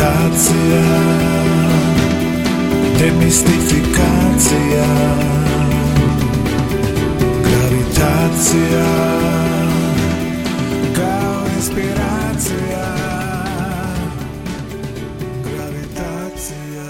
Gravitacija, demistifikacija. Gravitacija, kao inspiracija. Gravitacija.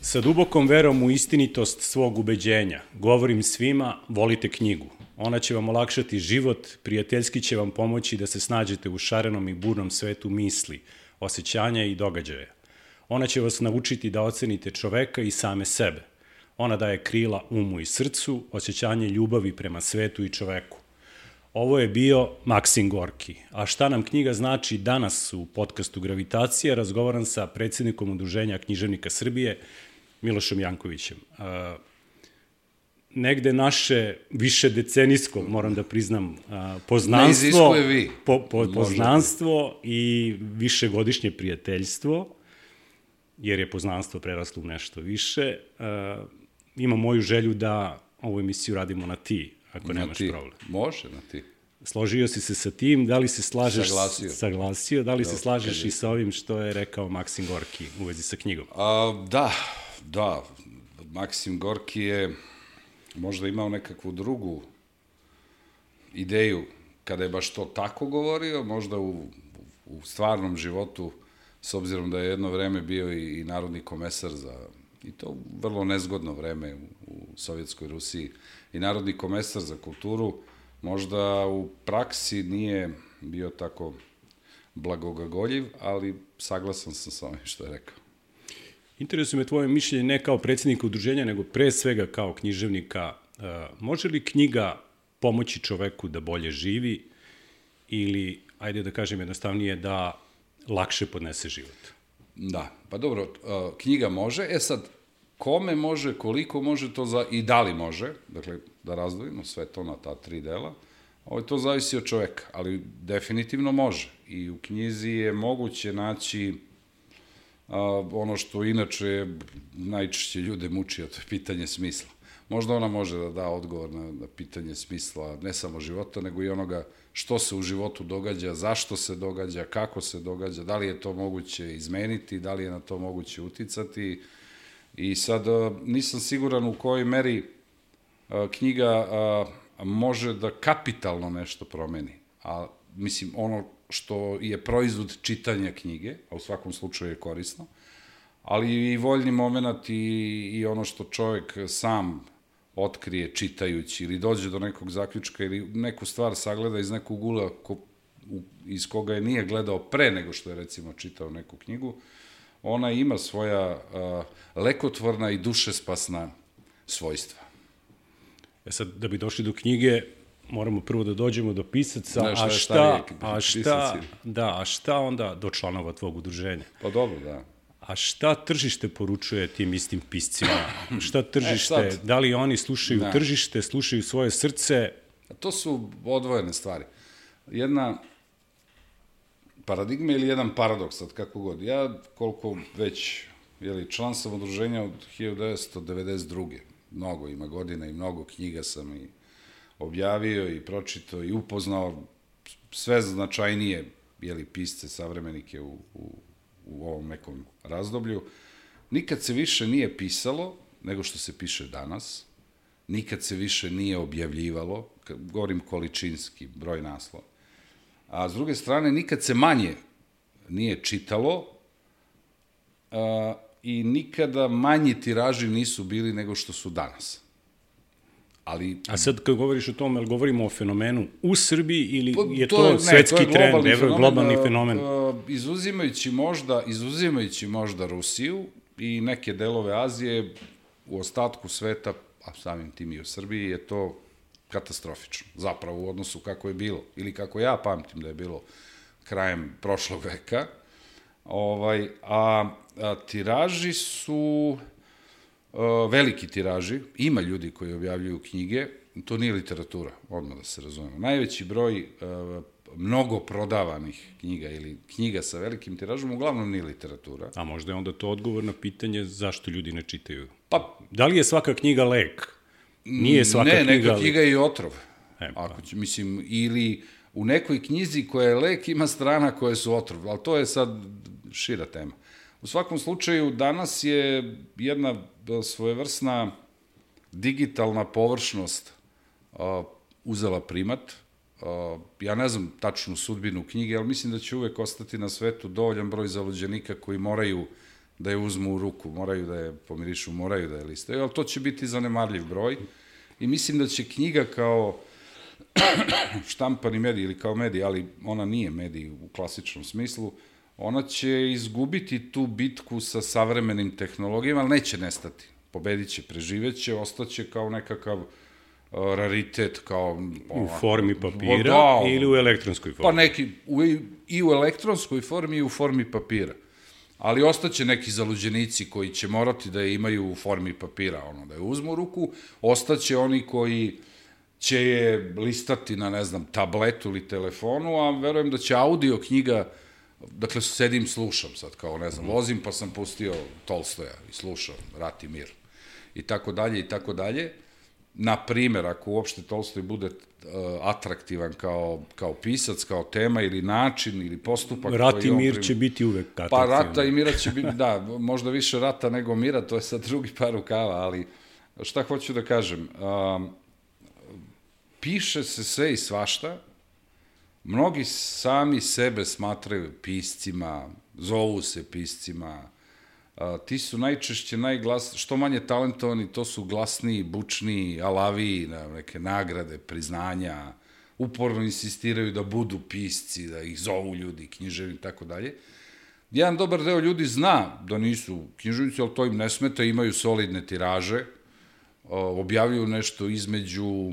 Sa dubokom verom u istinitost svog ubeđenja govorim svima, volite knjigu. Ona će vam olakšati život, prijateljski će vam pomoći da se snađete u šarenom i burnom svetu misli, osjećanja i događaja. Ona će vas naučiti da ocenite čoveka i same sebe. Ona daje krila umu i srcu, osjećanje ljubavi prema svetu i čoveku. Ovo je bio Maksim Gorki. A šta nam knjiga znači danas u podcastu Gravitacija, razgovaram sa predsjednikom Udruženja književnika Srbije, Milošom Jankovićem. Negde naše više decenijsko, moram da priznam, poznanstvo i višegodišnje prijateljstvo, jer je poznanstvo preraslo u nešto više. Imam moju želju da ovu emisiju radimo na ti, ako nemaš problem. Može na ti. Složio si se sa tim, da li se slažeš... Saglasio. Da li se slažeš i sa ovim što je rekao Maksim Gorki u vezi sa knjigom? Da. Maksim Gorki je možda imao nekakvu drugu ideju kada je baš to tako govorio, možda u stvarnom životu, s obzirom da je jedno vreme bio i narodni komesar i to vrlo nezgodno vreme u Sovjetskoj Rusiji, i narodni komesar za kulturu, možda u praksi nije bio tako blagogagoljiv, ali saglasan sam sa ovim što je rekao. Interesuje me tvoje mišljenje ne kao predsjednika udruženja, nego pre svega kao književnika. Može li knjiga pomoći čoveku da bolje živi ili, ajde da kažem jednostavnije, da lakše podnese život? Da, pa dobro, knjiga može, sad, kome može, koliko može to i da li može, dakle, da razdvojimo sve to na ta 3 dela, to zavisi od čoveka, ali definitivno može. I u knjizi je moguće naći ono što inače najčešće ljude muči, a to je pitanje smisla. Možda ona može da da odgovor na pitanje smisla, ne samo života, nego i onoga što se u životu događa, zašto se događa, kako se događa, da li je to moguće izmeniti, da li je na to moguće uticati. I sad nisam siguran u kojoj meri knjiga može da kapitalno nešto promeni. A mislim, ono što je proizvod čitanja knjige, a u svakom slučaju je korisno, ali i voljni moment i ono što čovek sam otkrije čitajući ili dođe do nekog zaključka ili neku stvar sagleda iz nekog ugla iz koga je nije gledao pre nego što je recimo čitao neku knjigu, ona ima svoja lekotvorna i dušespasna svojstva. Sad, da bi došli do knjige, moramo prvo da dođemo do pisaca, a šta onda do članova tvog udruženja? Pa dobro, da. A šta tržište poručuje tim istim piscima? Šta tržište, da li oni slušaju tržište, slušaju svoje srce? To su odvojene stvari. Jedna paradigma ili jedan paradoks, sad kako god. Ja, koliko već, član sam udruženja od 1992. Mnogo ima godina i mnogo knjiga sam i objavio i pročitao i upoznao sve značajnije pisce, savremenike u ovom nekom razdoblju. Nikad se više nije pisalo nego što se piše danas. Nikad se više nije objavljivalo, govorim količinski, broj naslova. A s druge strane, nikad se manje nije čitalo i nikada manji tiraži nisu bili nego što su danas. A sad kad govoriš o tome, ali govorimo o fenomenu u Srbiji ili je to svetski trend, globalni fenomen? Izuzimajući možda Rusiju i neke delove Azije, u ostatku sveta, a samim tim i u Srbiji, je to katastrofično. Zapravo u odnosu kako je bilo, ili kako ja pamtim da je bilo krajem prošlog veka. A tiraži su veliki tiraži, ima ljudi koji objavljuju knjige, to nije literatura, odmah da se razumemo. Najveći broj mnogo prodavanih knjiga ili knjiga sa velikim tiražom uglavnom nije literatura. A možda je onda to odgovor na pitanje zašto ljudi ne čitaju? Pa, da li je svaka knjiga lek? Nije svaka knjiga... Ne, neka knjiga je i otrov. Mislim, ili u nekoj knjizi koja je lek ima strana koje su otrov, ali to je sad šira tema. U svakom slučaju, danas je jedna svojevrsna digitalna površnost uzela primat. Ja ne znam tačnu sudbinu knjige, ali mislim da će uvek ostati na svetu dovoljan broj zaluđenika koji moraju da je uzmu u ruku, moraju da je pomirišu, moraju da je listaju, ali to će biti zanemarljiv broj. I mislim da će knjiga kao štampani medij ili kao medij, ali ona nije medij u klasičnom smislu, ona će izgubiti tu bitku sa savremenim tehnologijama, ali neće nestati. Pobedit će, preživeće, ostaće kao nekakav raritet, kao... U formi papira ili u elektronskoj formi? Pa neki, i u elektronskoj formi i u formi papira. Ali ostaće neki zaluđenici koji će morati da je imaju u formi papira, da je uzmu u ruku, ostaće oni koji će je listati na, ne znam, tabletu ili telefonu, a verujem da će audio knjiga, dakle, sedim, slušam sad, kao, ne znam, vozim pa sam pustio Tolstoja i slušam Rat i mir, i tako dalje, i tako dalje. Na primer, ako uopšte Tolstoj bude atraktivan kao pisac, kao tema ili način ili postupak... Rat i mir će biti uvek atraktivan. Pa rata i mira će biti, da, možda više rata nego mira, to je sad drugi par rukava, ali šta hoću da kažem, piše se sve i svašta, mnogi sami sebe smatraju piscima, zovu se piscima, ti su najčešće što manje talentovani, to su glasniji, bučniji, alaviji, neke nagrade, priznanja, uporno insistiraju da budu pisci, da ih zovu ljudi, književni i tako dalje. Jedan dobar deo ljudi zna da nisu književnici, ali to im ne smeta, imaju solidne tiraže, objavljuju nešto između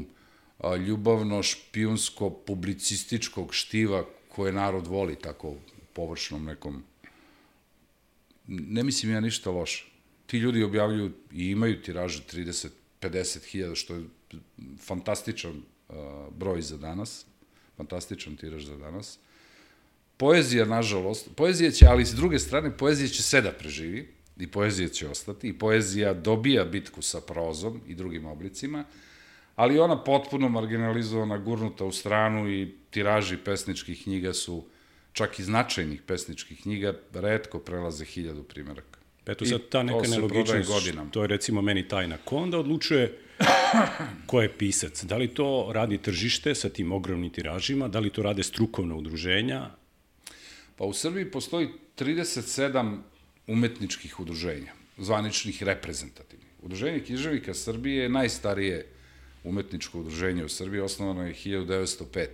ljubavno-špijunsko-publicističkog štiva koje narod voli, tako u površnom nekom. Ne mislim ja ništa loše. Ti ljudi objavljuju i imaju tiraže 30-50 hiljada, što je fantastičan broj za danas, fantastičan tiraž za danas. Poezija, nažalost, poezija će, ali s druge strane, poezija će sve da preživi, i poezija će ostati, i poezija dobija bitku sa prozom i drugim oblicima, ali ona potpuno marginalizovana, gurnuta u stranu, i tiraži pesničkih knjiga su, čak i značajnih pesničkih knjiga, retko prelaze 1000 primeraka. Eto sad ta neka nelogičnost, to je recimo meni tajna. Ko onda odlučuje ko je pisac? Da li to radi tržište sa tim ogromnim tiražima? Da li to rade strukovna udruženja? Pa u Srbiji postoji 37 umetničkih udruženja, zvaničnih, reprezentativnih. Udruženje književnika Srbije je najstarije umetničko udruženje u Srbiji, osnovano je 1905.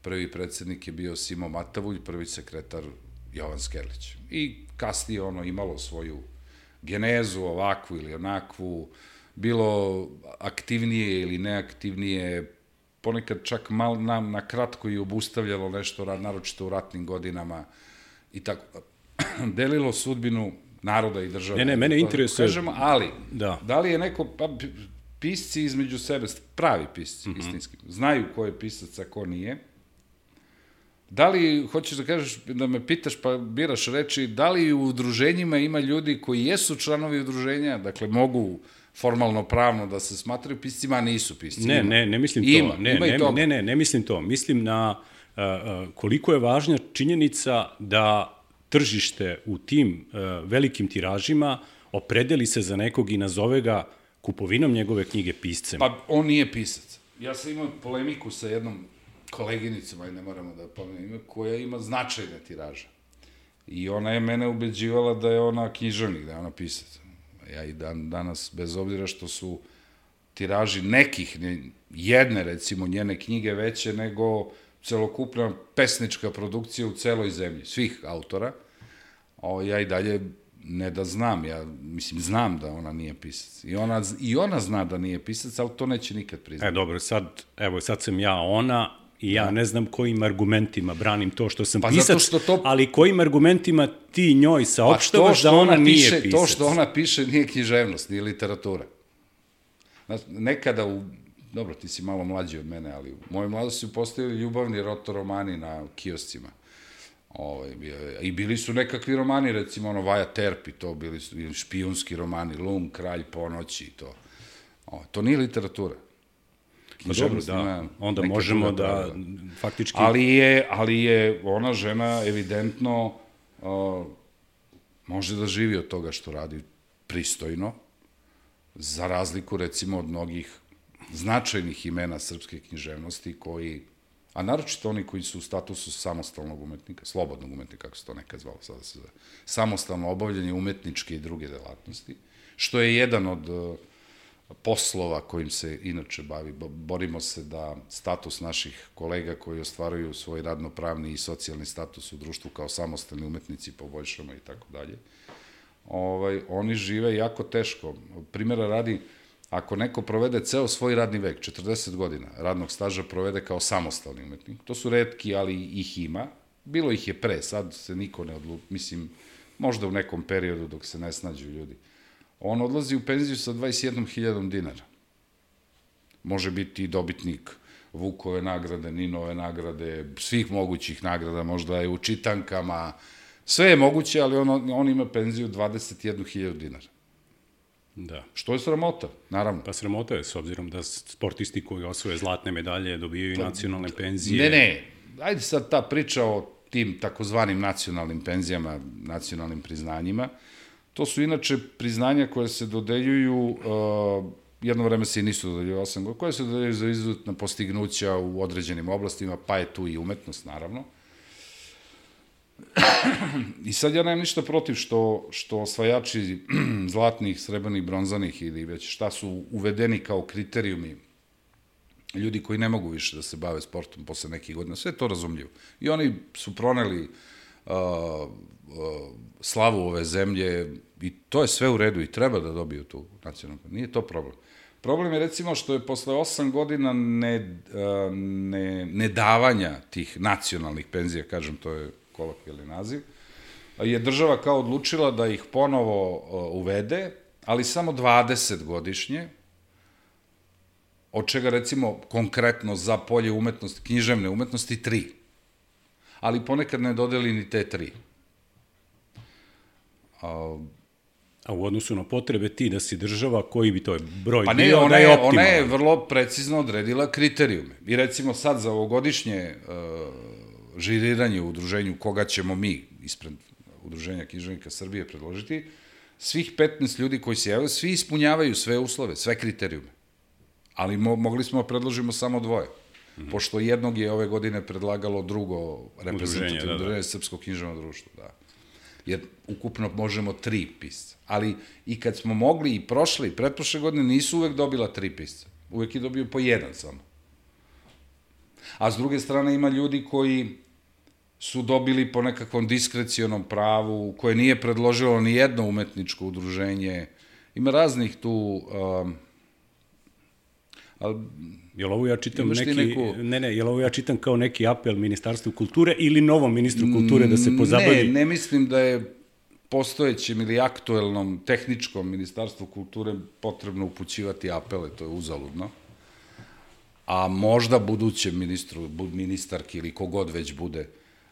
Prvi predsednik je bio Simo Matavulj, prvi sekretar Jovan Skerlić. I kasnije ono imalo svoju genezu, ovakvu ili onakvu, bilo aktivnije ili neaktivnije, ponekad čak malo na kratko i obustavljalo nešto, naročito u ratnim godinama, i tako, delilo sudbinu naroda i države. Ne, mene interesuje... Ali, da li je neko, pisci između sebe, pravi pisci, istinski, znaju ko je pisac, a ko nije. Da li, hoćeš da kažeš, da me pitaš pa biraš reči, da li u udruženjima ima ljudi koji jesu članovi udruženja, dakle mogu formalno pravno da se smatraju piscima, a nisu pisci? Ne mislim to. Ne mislim to. Mislim na koliko je važna činjenica da tržište u tim velikim tiražima opredeli se za nekog i nazove ga kupovinom njegove knjige piscem. Pa on nije pisac. Ja sam imao polemiku sa jednom koleginicom, ne moramo da pomenem, koja ima značajne tiraže. I ona je mene ubeđivala da je ona književnik, da je ona pisac. Ja i danas, bez obzira što su tiraži nekih, jedne recimo njene knjige veće nego celokupna pesnička produkcija u celoj zemlji, svih autora, ja i dalje ne da znam, znam da ona nije pisac. I ona zna da nije pisac, ali to neće nikad priznati. Dobro, sad sam ja ona i ja ne znam kojim argumentima branim to što sam pisac, ali kojim argumentima ti njoj saopštavaš da ona nije pisac. To što ona piše nije književnost, nije literatura. Nekada dobro, ti si malo mlađi od mene, ali u mojoj mladosti su postojali ljubavni rotoromani na kioscima. I bili su nekakvi romani, recimo Vaja Terpi, to bili su špijunski romani, Lum, Kralj ponoći i to. To nije literatura. književnost dobro, ima onda neke možemo druge da pravila. faktički... Ali je ona žena evidentno može da živi od toga što radi pristojno, za razliku recimo od mnogih značajnih imena srpske književnosti koji, a naročito oni koji su u statusu samostalnog umetnika, slobodnog umetnika, kako se to nekad zvalo, sada se zove, samostalno obavljanje umetničke i druge delatnosti, što je jedan od poslova kojim se inače bavi. Borimo se da status naših kolega koji ostvaruju svoj radnopravni i socijalni status u društvu kao samostalni umetnici poboljšamo i tako dalje. Oni žive jako teško. Primjera radi, ako neko provede ceo svoj radni vek, 40 godina radnog staža provede kao samostalni umetnik, to su retki, ali ih ima, bilo ih je pre, sad se niko ne odluči, mislim, možda u nekom periodu dok se ne snađu ljudi. On odlazi u penziju sa 21.000 dinara. Može biti i dobitnik Vukove nagrade, Ninove nagrade, svih mogućih nagrada, možda je u čitankama, sve je moguće, ali on ima penziju 21.000 dinara. Da. Što je sramota, naravno. Pa sramota je, s obzirom da sportisti koji osvoje zlatne medalje dobijaju nacionalne penzije. Ne, ajde sad ta priča o tim takozvanim nacionalnim penzijama, nacionalnim priznanjima. To su inače priznanja koje se dodeljuju, jedno vreme se i nisu dodeljuju 8 godina, koje se dodeljuju za izuzetna postignuća u određenim oblastima, pa je tu i umetnost, naravno. I sad ja nemam ništa protiv što osvajači zlatnih, srebrnih, bronzanih ili već šta su uvedeni kao kriterijumi ljudi koji ne mogu više da se bave sportom posle nekih godina, sve je to razumljivo. I oni su proneli slavu ove zemlje i to je sve u redu i treba da dobiju tu nacionalnu. Nije to problem. Problem je recimo što je posle 8 godina nedavanja tih nacionalnih penzija, kažem, to je kolokvijalni naziv, je država kao odlučila da ih ponovo uvede, ali samo 20 godišnje, od čega recimo konkretno za polje umetnosti, književne umetnosti 3. Ali ponekad ne dodeli ni te 3. A u odnosu na potrebe ti da si država, koji bi to je broj pa ne, bio da je optimalan? Ona je vrlo precizno odredila kriterijume. I recimo sad za ovogodišnje žiriranje u udruženju koga ćemo mi ispred Udruženja književnika Srbije predložiti, svih 15 ljudi koji se javaju, svi ispunjavaju sve uslove, sve kriterijume. Ali mogli smo da predložimo samo 2. Pošto jednog je ove godine predlagalo drugo reprezentativno udruženje Srpskog književnog društva. Da. Jer ukupno možemo 3 pisca. Ali i kad smo mogli i prošle i pretprošle godine nisu uvek dobila 3 pisca. Uvek je dobio po 1 samo. A s druge strane ima ljudi koji su dobili po nekakvom diskrecijonom pravu, koje nije predložilo ni jedno umetničko udruženje. Ima raznih tu... Jel ovo ja čitam jel ovo ja čitam kao neki apel Ministarstvu kulture ili novom ministru kulture da se pozabavi? Ne mislim da je postojećem ili aktuelnom tehničkom Ministarstvu kulture potrebno upućivati apele, to je uzaludno. A možda budućem ministarki ili kogod već bude,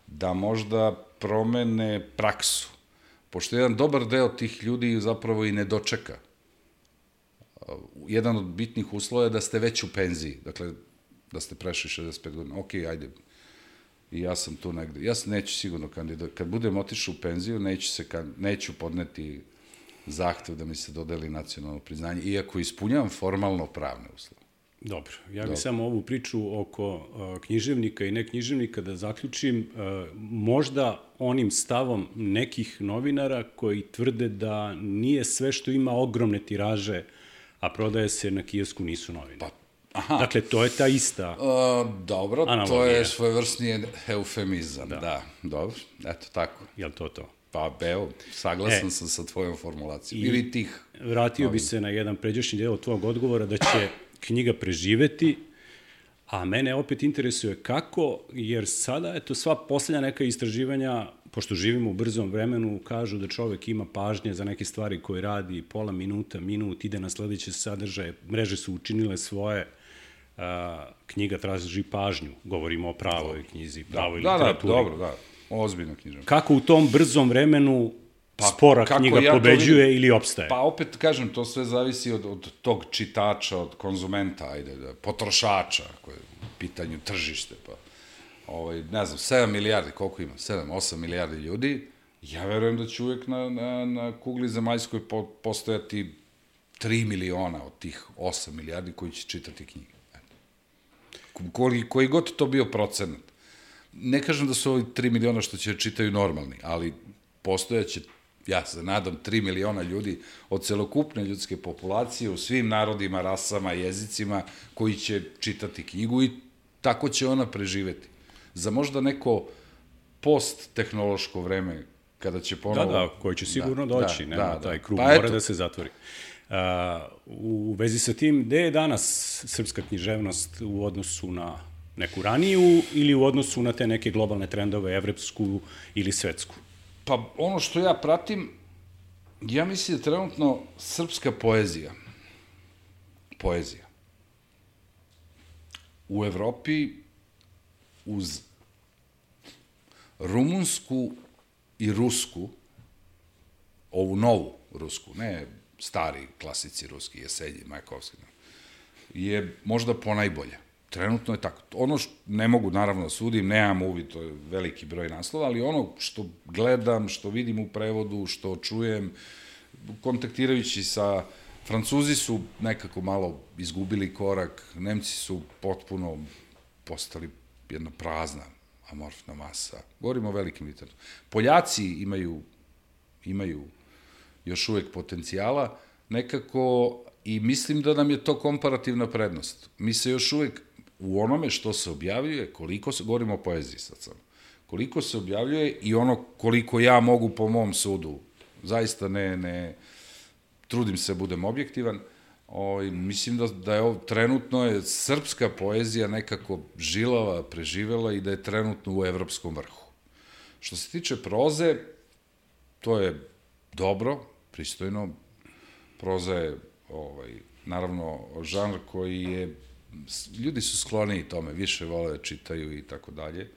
da možda promene praksu. Pošto jedan dobar deo tih ljudi zapravo i ne dočeka. Jedan od bitnih uslova je da ste već u penziji, dakle, da ste prešli 65 godina. Ok, ajde, i ja sam tu negde. Ja se neću sigurno kandidati. Kad budem otišao u penziju, neću podneti zahtev da mi se dodeli nacionalno priznanje, iako ispunjavam formalno pravne uslove. Dobro, ja bih samo ovu priču oko književnika i neknjiževnika da zaključim možda onim stavom nekih novinara koji tvrde da nije sve što ima ogromne tiraže, a prodaje se na kiosku, nisu novine. Dakle, to je ta ista dobro, analogija. To je svojevrsni eufemizam, da. Dobro, eto tako. Jel to to? Pa, evo, saglasan sam sa tvojom formulacijom. Ili tih... Vratio bi se na jedan pređašnji deo tvojeg odgovora da će knjiga preživeti, a mene opet interesuje kako, jer sada, eto, sva poslednja neka istraživanja, pošto živimo u brzom vremenu, kažu da čovek ima pažnje za neke stvari koje radi pola minuta, minut, ide na sledeće sadržaje, mreže su učinile svoje, knjiga traži pažnju, govorimo o pravoj knjizi, pravoj literaturi. Dobro, ozbiljna knjiža. Kako u tom brzom vremenu spora knjiga pobeđuje ili opstaje? Pa opet kažem, to sve zavisi od tog čitača, od konzumenta, potrošača, koje je u pitanju tržište, pa ne znam, 7 milijardi, koliko ima? 7-8 milijardi ljudi, ja verujem da će uvek na kugli zemaljskoj postojati 3 miliona od tih 8 milijardi koji će čitati knjige. Koji god to bio procenat. Ne kažem da su ovi 3 miliona što će čitaju normalni, ali postojaće, ja se nadam, 3 miliona ljudi od celokupne ljudske populacije u svim narodima, rasama, jezicima koji će čitati knjigu i tako će ona preživeti. Za možda neko post-tehnološko vreme, kada će ponovo... Da, koji će sigurno doći, nema taj krug, mora da se zatvori. U vezi sa tim, gde je danas srpska književnost u odnosu na neku raniju ili u odnosu na te neke globalne trendove, evropsku ili svetsku? Pa ono što ja pratim, ja mislim da trenutno srpska poezija u Evropi uz rumunsku i rusku, ovu novu rusku, ne stari klasici ruski, Jesenji, Majakovski, je možda ponajbolja. Trenutno je tako. Ono što ne mogu, naravno, sudim, nemam uvid, to je veliki broj naslova, ali ono što gledam, što vidim u prevodu, što čujem, kontaktirajući sa Francuzi su nekako malo izgubili korak, Nemci su potpuno postali jedna prazna, amorfna masa. Govorimo o velikim literaturama. Poljaci imaju još uvek potencijala, nekako, i mislim da nam je to komparativna prednost. Mi se još uvek u onome što se objavljuje, govorimo o poeziji sad sam, koliko se objavljuje i ono koliko ja mogu po mom sudu, zaista ne trudim se, budem objektivan, mislim da je trenutno je srpska poezija nekako žilava, preživela i da je trenutno u evropskom vrhu. Što se tiče proze, to je dobro, pristojno, proza je naravno žanr koji je, ljudi su skloniji tome, više vole da čitaju i tako dalje.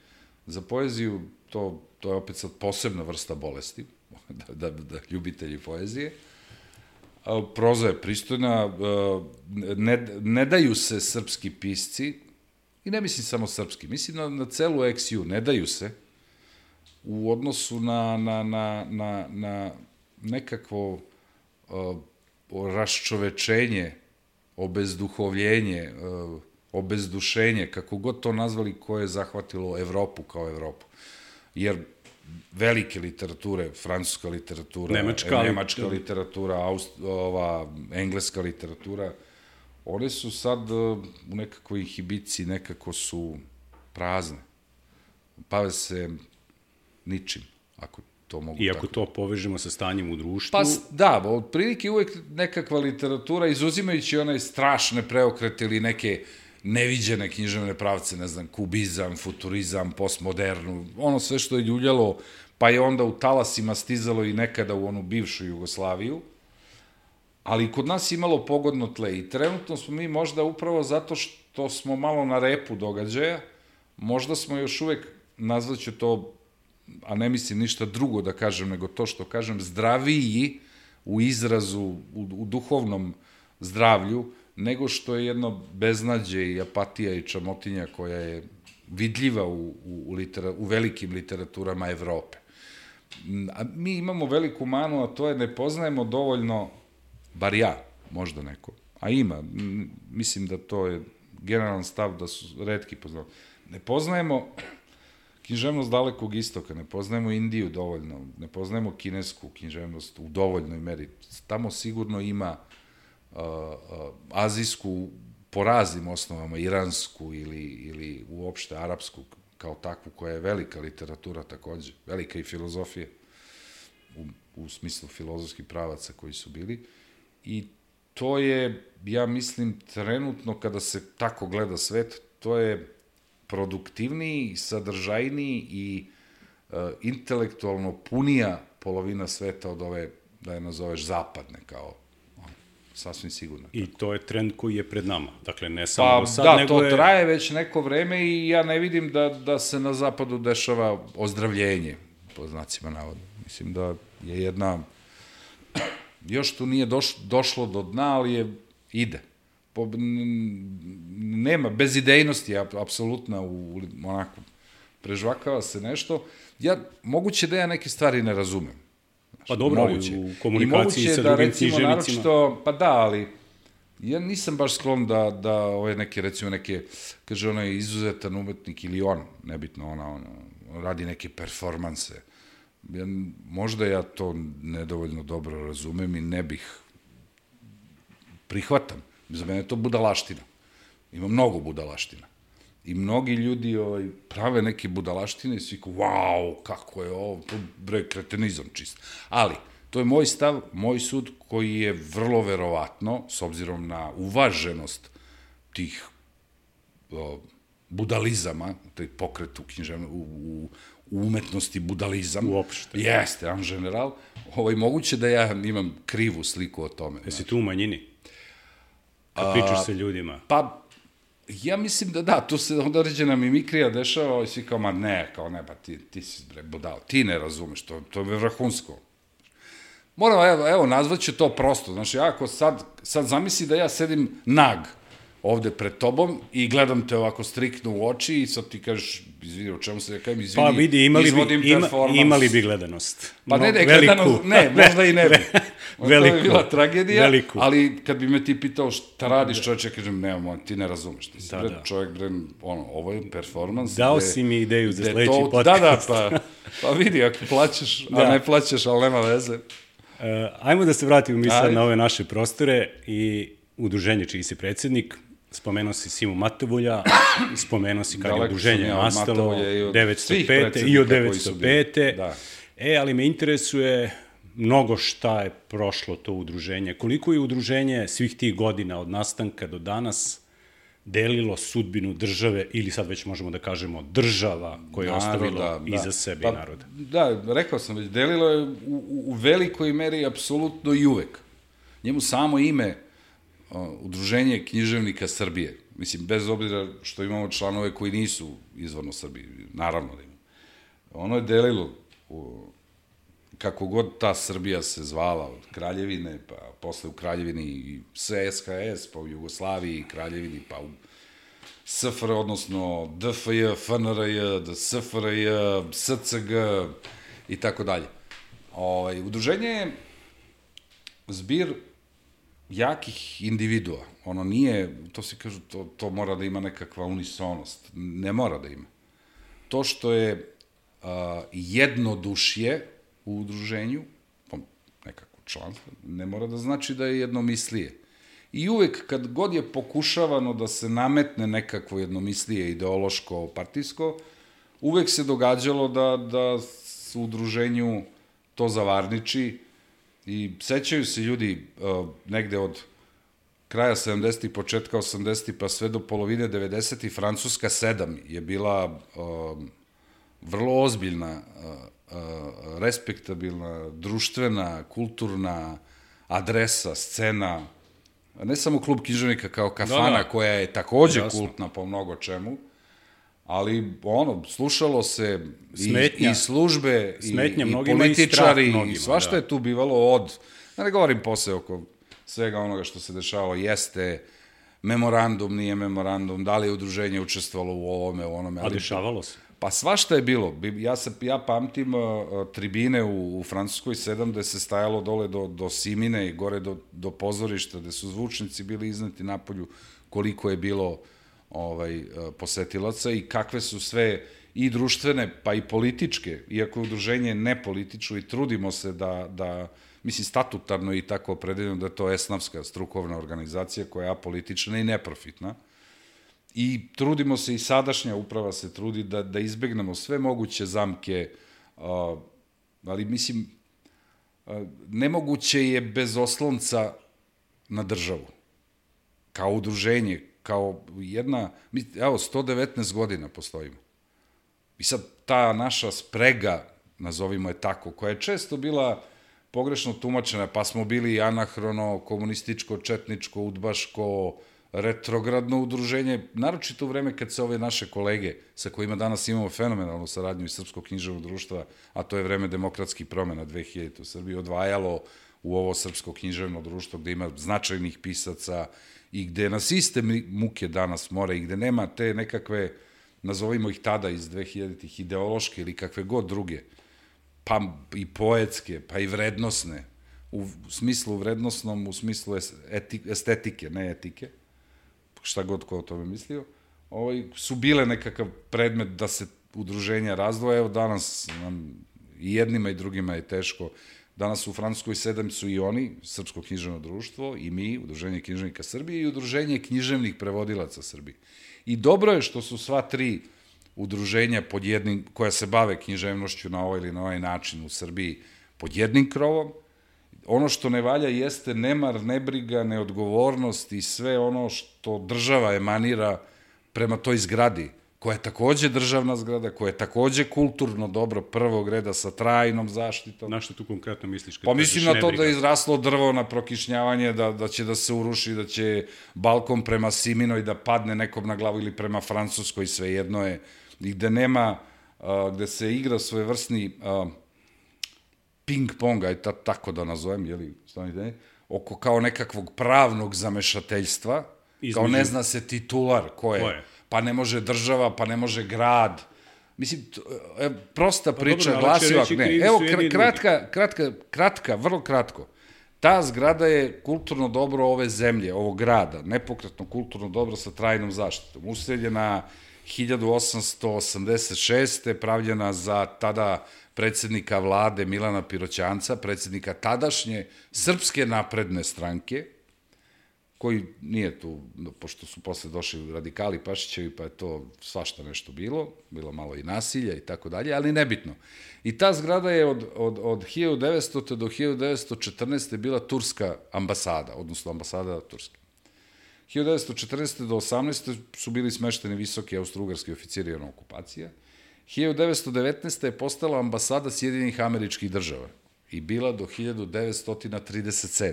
Za poeziju to je opet sad posebna vrsta bolesti, da ljubitelji poezije. Proza je pristojna, ne daju se srpski pisci, i ne mislim samo srpski, mislim na celu XU, ne daju se u odnosu na nekakvo raščovečenje, obezduhovljenje, obezdušenje, kako god to nazvali, koje je zahvatilo Evropu kao Evropu. Jer velike literature, francuska literatura, nemačka literatura, engleska literatura, one su sad u nekakvoj inhibiciji, nekako su prazne. Bave se ničim, ako to mogu tako. I ako to povežemo sa stanjem u društvu... Pa da, otprilike uvek nekakva literatura, izuzimajući one strašne preokrete ili neke neviđene književne pravce, ne znam, kubizam, futurizam, postmodernu, ono sve što je ljuljalo, pa je onda u talasima stizalo i nekada u onu bivšu Jugoslaviju, ali kod nas imalo pogodno tle i trenutno smo mi možda upravo zato što smo malo na repu događaja, možda smo još uvek, nazvaću to, a ne mislim ništa drugo da kažem, nego to što kažem, zdraviji u izrazu, u duhovnom zdravlju, nego što je jedno beznađe i apatija i čamotinja koja je vidljiva u velikim literaturama Evrope. A mi imamo veliku manu, a to je ne poznajemo dovoljno, bar ja, možda neko, a ima, mislim da to je generalan stav da su retki poznali. Ne poznajemo književnost Dalekog istoka, ne poznajemo Indiju dovoljno, ne poznajemo kinesku književnost u dovoljnoj meri. Tamo sigurno ima azijsku po raznim osnovama, iransku ili uopšte arapsku kao takvu, koja je velika literatura takođe, velika i filozofija u smislu filozofskih pravaca koji su bili. I to je, ja mislim, trenutno kada se tako gleda svet, to je produktivniji, sadržajniji i intelektualno punija polovina sveta od ove, da je nazoveš, zapadne, kao sasvim sigurno. I to je trend koji je pred nama. Dakle, ne samo sad, nego je... Da, to traje već neko vreme i ja ne vidim da se na zapadu dešava ozdravljenje. po znacima navoda. Mislim da je jedna, još tu nije došlo do dna, ali ide. Nema, bezidejnosti je apsolutna, onako, prežvakava se nešto. Moguće da ja neke stvari ne razumem. Pa dobro, u komunikaciji sa drugim književnicima. Naročito, pa da, ali ja nisam baš sklon da ove neke, recimo neke, kaže ona je izuzetan umetnik ili on, nebitno ona radi neke performanse. Možda ja to nedovoljno dobro razumem i ne bih prihvatam. Za mene je to budalaština. Ima mnogo budalaština. I mnogi ljudi prave neke budalaštine i svi kao, wow, kako je ovo, to bre, kretenizam čist. Ali, to je moj stav, moj sud, koji je vrlo verovatno, s obzirom na uvaženost tih budalizama, taj pokret u umetnosti budalizam. Uopšte. Jeste, en general. Moguće da ja imam krivu sliku o tome. Jesi tu u manjini? Kad pričaš sa ljudima? Pa, ja mislim da, tu se onda određena mimikrija dešava i svi kao, ma ne, pa ti si bre budal, ti ne razumeš, to je vrhunsko. Moram, evo, nazvaću to prosto, znači, ako sad zamisli da ja sedim nag ovde pred tobom i gledam te ovako striktno u oči i sad ti kažeš, izvini, o čemu se ja kajem, izvini, pa vidi, imali bi gledanost. Pa ne, gledanost, ne, možda i ne bi. Veliko. To je bila tragedija, ali kad bi me ti pitao šta radiš, čovječe, kažem, nemamo, ti ne razumeš, ti si čovjek, ovo je performans. Dao si mi ideju za sledeći podcast. Pa vidi, ako plaćaš, a ne plaćaš, ali nema veze. Ajmo da se vratimo mi sad na ove naše prostore i udruženje čiji si predsednik. Spomenuo si Simu Matavulja, spomenuo si kad je udruženje nastalo, 905. i od 905. Ali me interesuje mnogo šta je prošlo to udruženje. Koliko je udruženje svih tih godina od nastanka do danas delilo sudbinu države, ili sad već možemo da kažemo država koje je ostavilo iza sebe i naroda? Da, rekao sam već, delilo je u velikoj meri apsolutno i uvek. Njemu samo ime Udruženje književnika Srbije. Mislim, bez obzira što imamo članove koji nisu izvorno Srbiji, naravno da ima. Ono je delilo kako god ta Srbija se zvala, od Kraljevine, pa posle u Kraljevini i SHS, pa u Jugoslaviji, Kraljevini, pa u SFR, odnosno DFJ, FNRJ, SFRJ, SCG i tako dalje. Udruženje je zbir jakih individua. Ono nije, to se kažu, to mora da ima nekakva unisonost. Ne mora da ima. To što je jednodušje u udruženju, nekako članstvo, ne mora da znači da je jednomislije. I uvek kad god je pokušavano da se nametne nekakvo jednomislije ideološko, partijsko, uvek se događalo da u udruženju to zavarniči i sećaju se ljudi negde od kraja 70. početka 80. pa sve do polovine 90. Francuska 7 je bila vrlo ozbiljna, respektabilna, društvena, kulturna adresa, scena, ne samo klub književnika kao kafana, koja je takođe kultna po mnogo čemu, ali slušalo se i službe, i političari, i svašta je tu bivalo da ne govorim posle oko svega onoga što se dešavalo, jeste memorandum, nije memorandum, da li je udruženje učestvovalo u ovome, u onome. A dešavalo se? Pa svašta je bilo. Ja pamtim tribine u Francuskoj 7, gde se stajalo dole do Simine i gore do pozorišta, gde su zvučnici bili izneti napolju, koliko je bilo posetilaca i kakve su sve i društvene, pa i političke, iako je udruženje nepolitično i trudimo se da mislim, statutarno i tako opredeljeno da je to esnafska strukovna organizacija koja je apolitična i neprofitna. I trudimo se, i sadašnja uprava se trudi da izbegnemo sve moguće zamke, ali mislim, nemoguće je bez oslonca na državu. Kao udruženje, kao jedna, evo, 119 godina postojimo. I sad ta naša sprega, nazovimo je tako, koja je često bila pogrešno tumačena, pa smo bili anahrono, komunističko, četničko, udbaško, retrogradno udruženje, naročito u vreme kad se ove naše kolege, sa kojima danas imamo fenomenalnu saradnju iz Srpskog književnog društva, a to je vreme demokratskih promena 2000 u Srbiji, odvajalo u ovo Srpsko književno društvo gde ima značajnih pisaca i gde nas iste muke danas more i gde nema te nekakve, nazovimo ih tada iz 2000-ih, ideološke ili kakve god druge, pa i poetske, pa i vrednosne, u smislu vrednosnom, u smislu estetike, ne etike, šta god ko o tome mislio, su bile nekakav predmet da se udruženja razdvoje. Evo danas nam i jednima i drugima je teško. Danas u Francuskoj 7 su i oni, Srpsko književno društvo, i mi, Udruženje književnika Srbije i Udruženje književnih prevodilaca Srbije. I dobro je što su sva tri udruženja pod jednim, koja se bave književnošću na ovaj ili na ovaj način u Srbiji, pod jednim krovom. Ono što ne valja jeste nemar, nebriga, neodgovornost i sve ono što država emanira prema toj zgradi, koja je takođe državna zgrada, koja je takođe kulturno dobro prvog reda sa trajnom zaštitom. Na što tu konkretno misliš? Pa mislim na to da je izraslo drvo na prokišnjavanje, da će da se uruši, da će balkon prema Siminoj da padne nekom na glavu ili prema Francuskoj, svejedno je, i gde nema, gde se igra svojevrsni ping-pong, aj tako da nazovem, jeli, oko kao nekakvog pravnog zamešateljstva, kao ne zna se titular ko je. Pa ne može država, pa ne može grad. Mislim, prosta priča glasi ovako. Evo, kratka, vrlo kratko. Ta zgrada je kulturno dobro ove zemlje, ovog grada, nepokretno kulturno dobro sa trajnom zaštitom. Useljena 1886. pravljena za tada predsjednika vlade Milana Piroćanca, predsjednika tadašnje Srpske napredne stranke, koji nije tu, pošto su posle došli radikali Pašićevi, pa je to svašta nešto bilo malo i nasilja i tako dalje, ali nebitno. I ta zgrada je od 1900. do 1914. bila turska ambasada, odnosno ambasada Turske. 1914. do 18. su bili smešteni visoki austro-ugarski oficiri na okupacija. 1919. je postala ambasada Sjedinjenih Američkih Država i bila do 1937.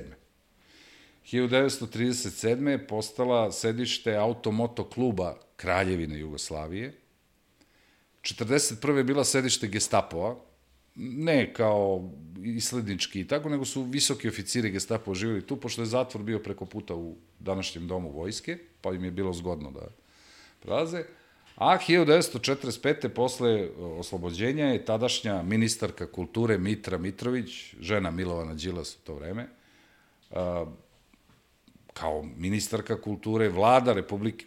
1937. je postala sedište automoto kluba Kraljevine Jugoslavije. 1941. je bila sedište Gestapova, ne kao islednički i tako, nego su visoki oficiri Gestapova živjeli tu, pošto je zatvor bio preko puta u današnjem domu vojske, pa im je bilo zgodno da prelaze. A 1945. posle oslobođenja je tadašnja ministarka kulture Mitra Mitrović, žena Milovana Đilas u to vreme, kao ministarka kulture, vlada Republike,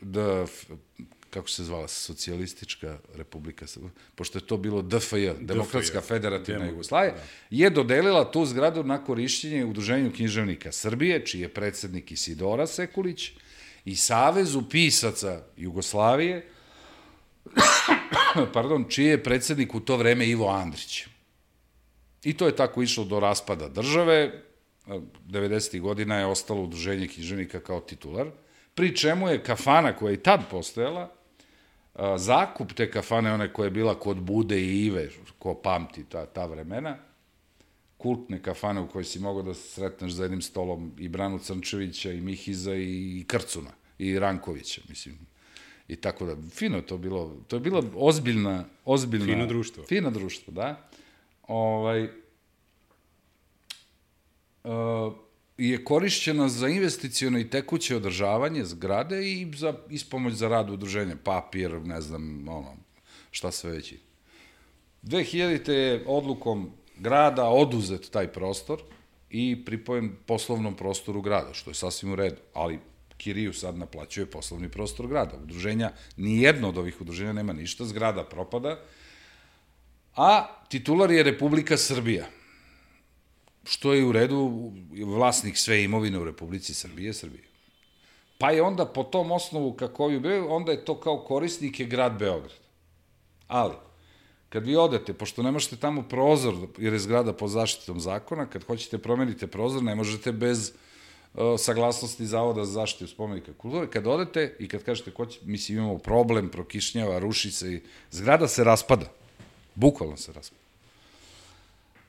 kako se zvala, Socijalistička republika, pošto je to bilo DFJ, Demokratska federativna Jugoslavija, je dodelila tu zgradu na korišćenje Udruženju književnika Srbije, čiji je predsednik Isidora Sekulić, i Savezu pisaca Jugoslavije, čiji je predsednik u to vreme Ivo Andrić. I to je tako išlo do raspada države. 90. godina je ostalo Udruženje književnika kao titular, pri čemu je kafana koja je i tad postojala, zakup te kafane, one koja je bila kod Bude i Ive, ko pamti ta vremena, kultne kafane u kojoj si mogao da se sretneš za jednim stolom i Branu Crnčevića, i Mihiza, i Krcuna, i Rankovića, mislim, i tako da. Fino je to bilo, to je bila ozbiljna... Fino društvo. Fino društvo, da. Je korišćena za investiciono i tekuće održavanje zgrade i za ispomoć za rad udruženja, papir, ne znam, šta sve već. 2000. je odlukom grada oduzet taj prostor i pripojen poslovnom prostoru grada, što je sasvim u redu, ali kiriju sad naplaćuje poslovni prostor grada. Udruženja, nijedno od ovih udruženja nema ništa, zgrada propada, a titular je Republika Srbija, što je u redu, vlasnik sve imovine u Republici Srbije. Pa je onda po tom osnovu, kako je bio, onda je to kao korisnik je grad Beograd. Ali, kad vi odete, pošto ne možete tamo prozor, jer je zgrada pod zaštitom zakona, kad hoćete promenite prozor, ne možete bez saglasnosti Zavoda za zaštitu spomenika kulture. Kad odete i kad kažete, mislim, imamo problem, prokišnjava, ruši se, zgrada se raspada. Bukvalno se raspada.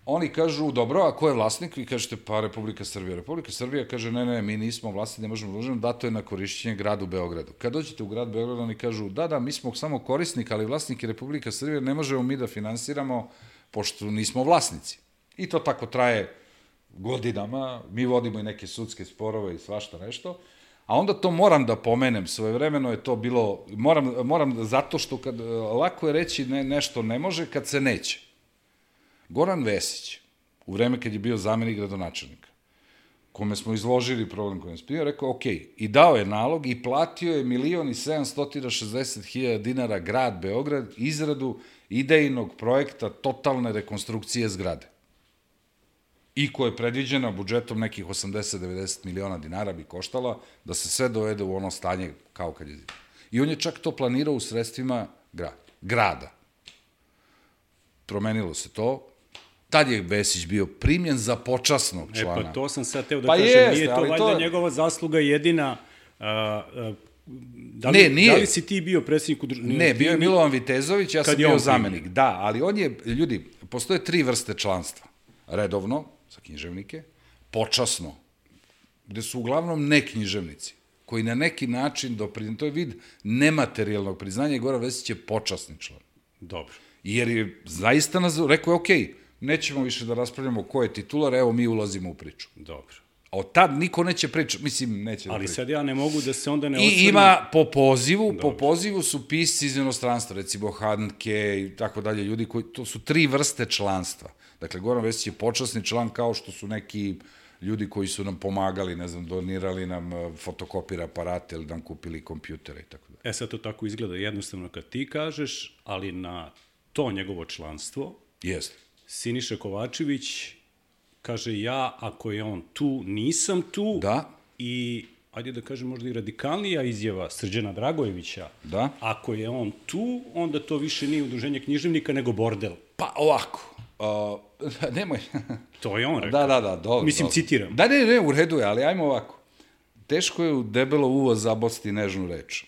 oni kažu, dobro, a ko je vlasnik? Vi kažete, pa Republika Srbija. Republika Srbija kaže, ne, mi nismo vlasni, ne možemo da uživamo, dato je na korišćenje gradu Beogradu. Kad dođete u grad Beograd, oni kažu, da, mi smo samo korisnik, ali vlasnik je Republika Srbija, ne možemo mi da finansiramo, pošto nismo vlasnici. I to tako traje godinama, mi vodimo i neke sudske sporove i svašta nešto, a onda to moram da pomenem, svojevremeno je to bilo, moram zato što lako je reći nešto ne može kad se neće. Goran Vesić, u vreme kad je bio zamenik gradonačelnika, kome smo izložili problem koji je spio, rekao, ok, i dao je nalog i platio je 1.760.000 dinara grad Beograd izradu idejnog projekta totalne rekonstrukcije zgrade. I koja je predviđena budžetom nekih 80-90 miliona dinara bi koštala da se sve dovede u ono stanje kao kad je zima. I on je čak to planirao u sredstvima grada. Promenilo se to. Tad je Vesić bio primljen za počasnog člana. Pa to sam sad teo da kažem, nije to valjda njegova zasluga jedina. Da li si ti bio predsjednik udruženja? Ne, bio je Milovan Vitezović, ja sam bio zamenik. Da, ali on je, ljudi, postoje 3 vrste članstva. Redovno, za književnike, počasno, gde su uglavnom neknjiževnici, koji na neki način to je vid nematerijalnog priznanja i Goran Vesić je počasni član. Dobro. Jer je zaista rekao je, okej, nećemo više da raspravljamo ko je titular, evo mi ulazimo u priču. Dobro. A od tad niko neće pričati, mislim, neće da priča. Ali sad ja ne mogu da se onda ne osvrnem. I ima po pozivu su pisci iz inostranstva, recimo Handke i tako dalje, ljudi koji, to su 3 vrste članstva. Dakle, Goran Vesić je počasni član kao što su neki ljudi koji su nam pomagali, ne znam, donirali nam fotokopir aparate ili nam kupili kompjutere i tako dalje. Sad to tako izgleda jednostavno kad ti kažeš, ali na to njegovo članstvo, jeste. Siniša Kovačević kaže ja, ako je on tu, nisam tu. Da. I, ajde da kažem, možda i radikalnija izjava Srđana Dragojevića. Da. Ako je on tu, onda to više nije udruženje književnika, nego bordel. Pa ovako, nemoj. To je on rekao. Da, dobro. Mislim, citiram. Da, ne, u redu je, ali ajmo ovako. Teško je u debelo uvo zabosti nežnu reč.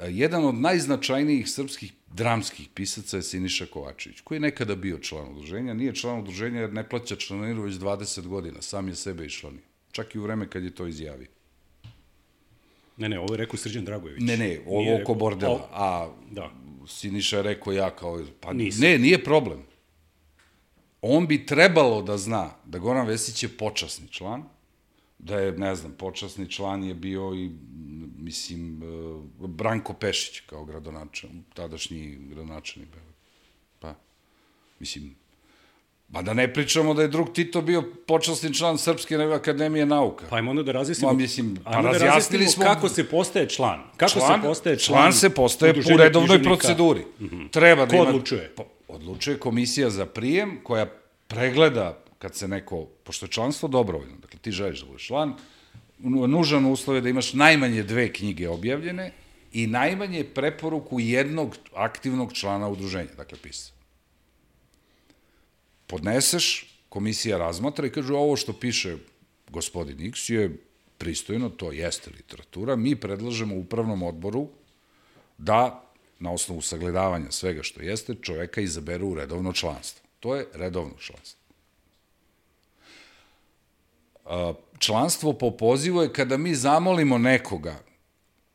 Jedan od najznačajnijih srpskih dramskih pisaca je Siniša Kovačević, koji je nekada bio član udruženja. Nije član udruženja jer ne plaća članarinu već 20 godina. Sam je sebe iščlanio. Čak i u vreme kad je to izjavio. Ne, ovo je rekao Srđan Dragojević. Ne, ovo oko bordela. A Siniša je rekao ja kao... Pa nije problem. On bi trebalo da zna da Goran Vesić je počasni član, da je, ne znam, počasni član je bio i, mislim, Branko Pešić kao gradonačelnik, tadašnji gradonačelnik. Pa, mislim, ba da ne pričamo da je drug Tito bio počasni član Srpske akademije nauka. Pa ajmo onda da razjasnimo, razjasnili smo kako se postaje član. Član se postaje po redovnoj proceduri. Treba da ima... Ko odlučuje? Odlučuje komisija za prijem koja pregleda kad se neko, pošto je članstvo dobrovoljno, dakle ti želiš da budeš član, nužan uslov je da imaš najmanje 2 knjige objavljene i najmanje preporuku jednog aktivnog člana udruženja, dakle pisca. Podneseš, komisija razmatra i kaže ovo što piše gospodin X je pristojno, to jeste literatura, mi predlažemo upravnom odboru da na osnovu sagledavanja svega što jeste, čoveka izaberu u redovno članstvo. To je redovno članstvo. Članstvo po pozivu je kada mi zamolimo nekoga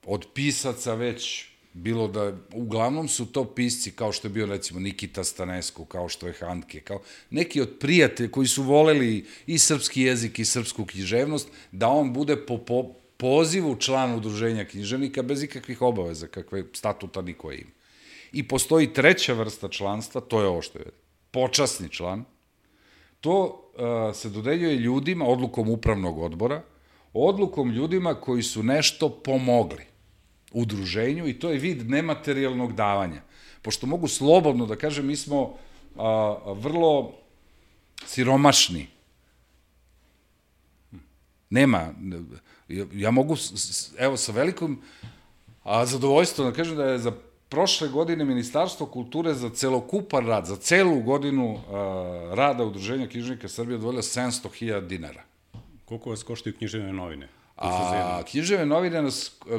od pisaca već, bilo da, uglavnom su to pisci kao što je bio recimo Nikita Stanescu, kao što je Handke, kao neki od prijatelja koji su voleli i srpski jezik i srpsku književnost, da on bude po pozivu člana udruženja književnika bez ikakvih obaveza, kakve statuta niko ima. I postoji 3. vrsta članstva, to je ovo što je počasni član. To se dodeljuje ljudima, odlukom upravnog odbora, odlukom ljudima koji su nešto pomogli udruženju i to je vid nematerijalnog davanja. Pošto mogu slobodno da kažem, mi smo vrlo siromašni. Nema, ja mogu, evo, sa velikom zadovoljstvom da kažem da je za prošle godine Ministarstvo kulture za celokupan rad, za celu godinu rada Udruženja književnika Srbije odvojilo 700.000 dinara. Koliko vas koštaju književne novine? Književne novine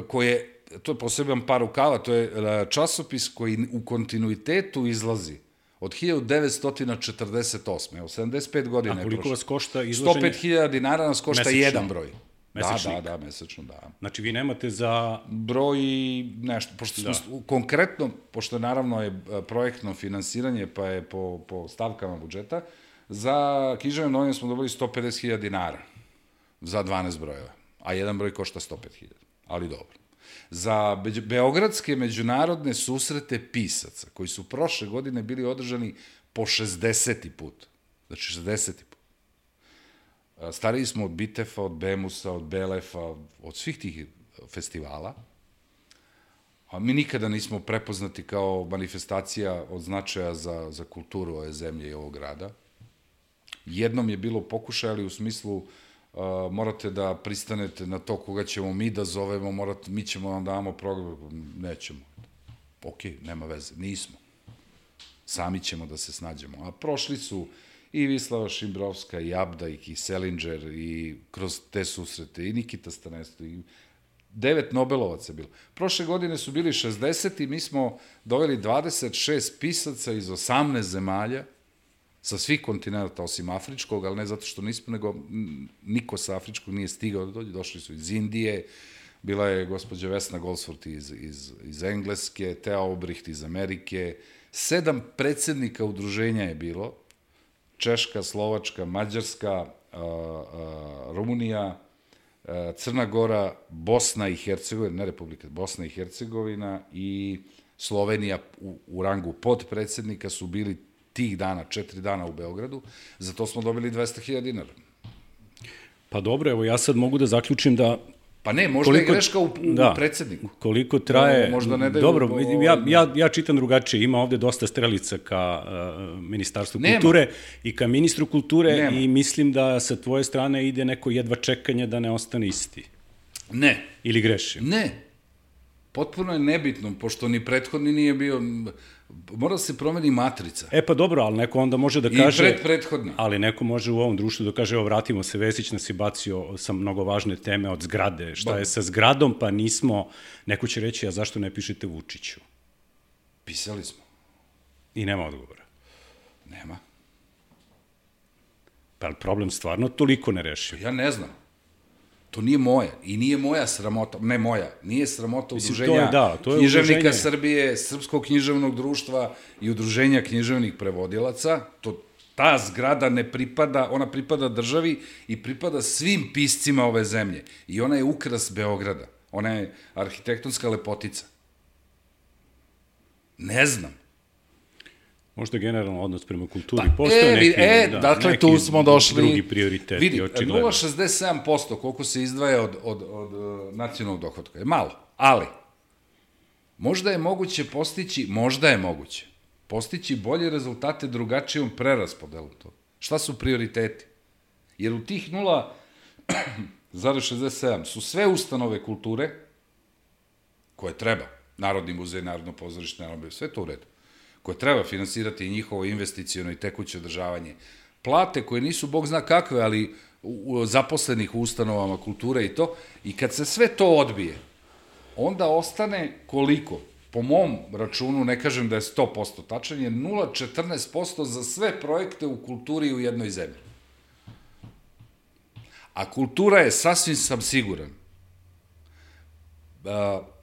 koje, to je poseban par rukava, to je časopis koji u kontinuitetu izlazi Od 1948. Evo, 75 godina je prošlo. A koliko vas košta izlaženje? 105.000 dinara nas košta Mesečno? jedan broj. Mesečnik? Da, mesečno, da. Znači, vi nemate za... Broj nešto, pošto smo konkretno, pošto naravno je projektno finansiranje, pa je po stavkama budžeta, za književne novine smo dobili 150.000 dinara za 12 brojeva, a jedan broj košta 105.000, ali dobro. Za beogradske međunarodne susrete pisaca, koji su prošle godine bili održani po 60. put, znači 60. put. Stariji smo od Bitefa, od Bemusa, od Belefa, od svih tih festivala, a mi nikada nismo prepoznati kao manifestacija od značaja za kulturu ove zemlje i ovog grada. Jednom je bilo pokušaj, ali u smislu morate da pristanete na to koga ćemo mi da zovemo, mi ćemo vam damo program, nećemo. Ok, nema veze, nismo. Sami ćemo da se snađemo. A prošli su i Vislava Šimbrovska, i Abda, i Kiselinger, i kroz te susrete, i Nikita Stanesto, i 9 Nobelovaca je bilo. Prošle godine su bili 60 i mi smo doveli 26 pisaca iz 18 zemalja, sa svih kontinenta, osim afričkog, ali ne zato što nismo, nego niko sa afričkog nije stigao da dođe, došli su iz Indije, bila je gospođa Vesna Goldsworth iz Engleske, Thea Obricht iz Amerike, 7 predsednika udruženja je bilo, Češka, Slovačka, Mađarska, Rumunija, Crna Gora, Bosna i Hercegovina, ne Republika, Bosna i Hercegovina i Slovenija u rangu podpredsednika su bili tih dana, 4 dana u Beogradu, za to smo dobili 200.000 dinara. Pa dobro, evo ja sad mogu da zaključim da... Pa ne, možda je greška u predsedniku. Koliko traje... Možda ne daju... Dobro, ja čitam drugačije, ima ovde dosta strelica ka Ministarstvu kulture i ka ministru kulture i mislim da sa tvoje strane ide neko jedva čekanje da ne ostane isti. Ne. Ili grešim? Ne. Potpuno je nebitno, pošto ni prethodni nije bio... Mora da se promeni matrica. E pa dobro, ali neko onda može da kaže... I prethodni. Ali neko može u ovom društvu da kaže, evo vratimo se, Vesić nas je bacio sa mnogo važne teme od zgrade. Šta je sa zgradom, pa nismo... Neko će reći, a zašto ne pišete Vučiću? Pisali smo. I nema odgovora. Nema. Pa problem stvarno toliko ne rešio. Ja ne znam. To nije moja. I nije moja sramota, ne moja, nije sramota udruženja književnika Srbije, Srpskog književnog društva i udruženja književnih prevodilaca. Ta zgrada ne pripada, ona pripada državi i pripada svim piscima ove zemlje. I ona je ukras Beograda. Ona je arhitektonska lepotica. Ne znam. Možda generalno odnos prema kulturi postoje neki tu smo došli, drugi prioriteti. Vidi, 0,67% koliko se izdvaja od nacionalnog dohotka je malo, ali možda je moguće postići bolje rezultate drugačijom preraspodelom to. Šta su prioriteti? Jer u tih 0,67 su sve ustanove kulture koje treba, Narodni muzej, Narodno pozorište, sve to u redu, koje treba finansirati i njihovo investiciono i tekuće održavanje. Plate koje nisu, Bog zna kakve, ali zaposlenih u ustanovama kulture i to, i kad se sve to odbije, onda ostane koliko? Po mom računu, ne kažem da je 100% tačan, je 0,14% za sve projekte u kulturi u jednoj zemlji. A kultura je, sasvim sam siguran,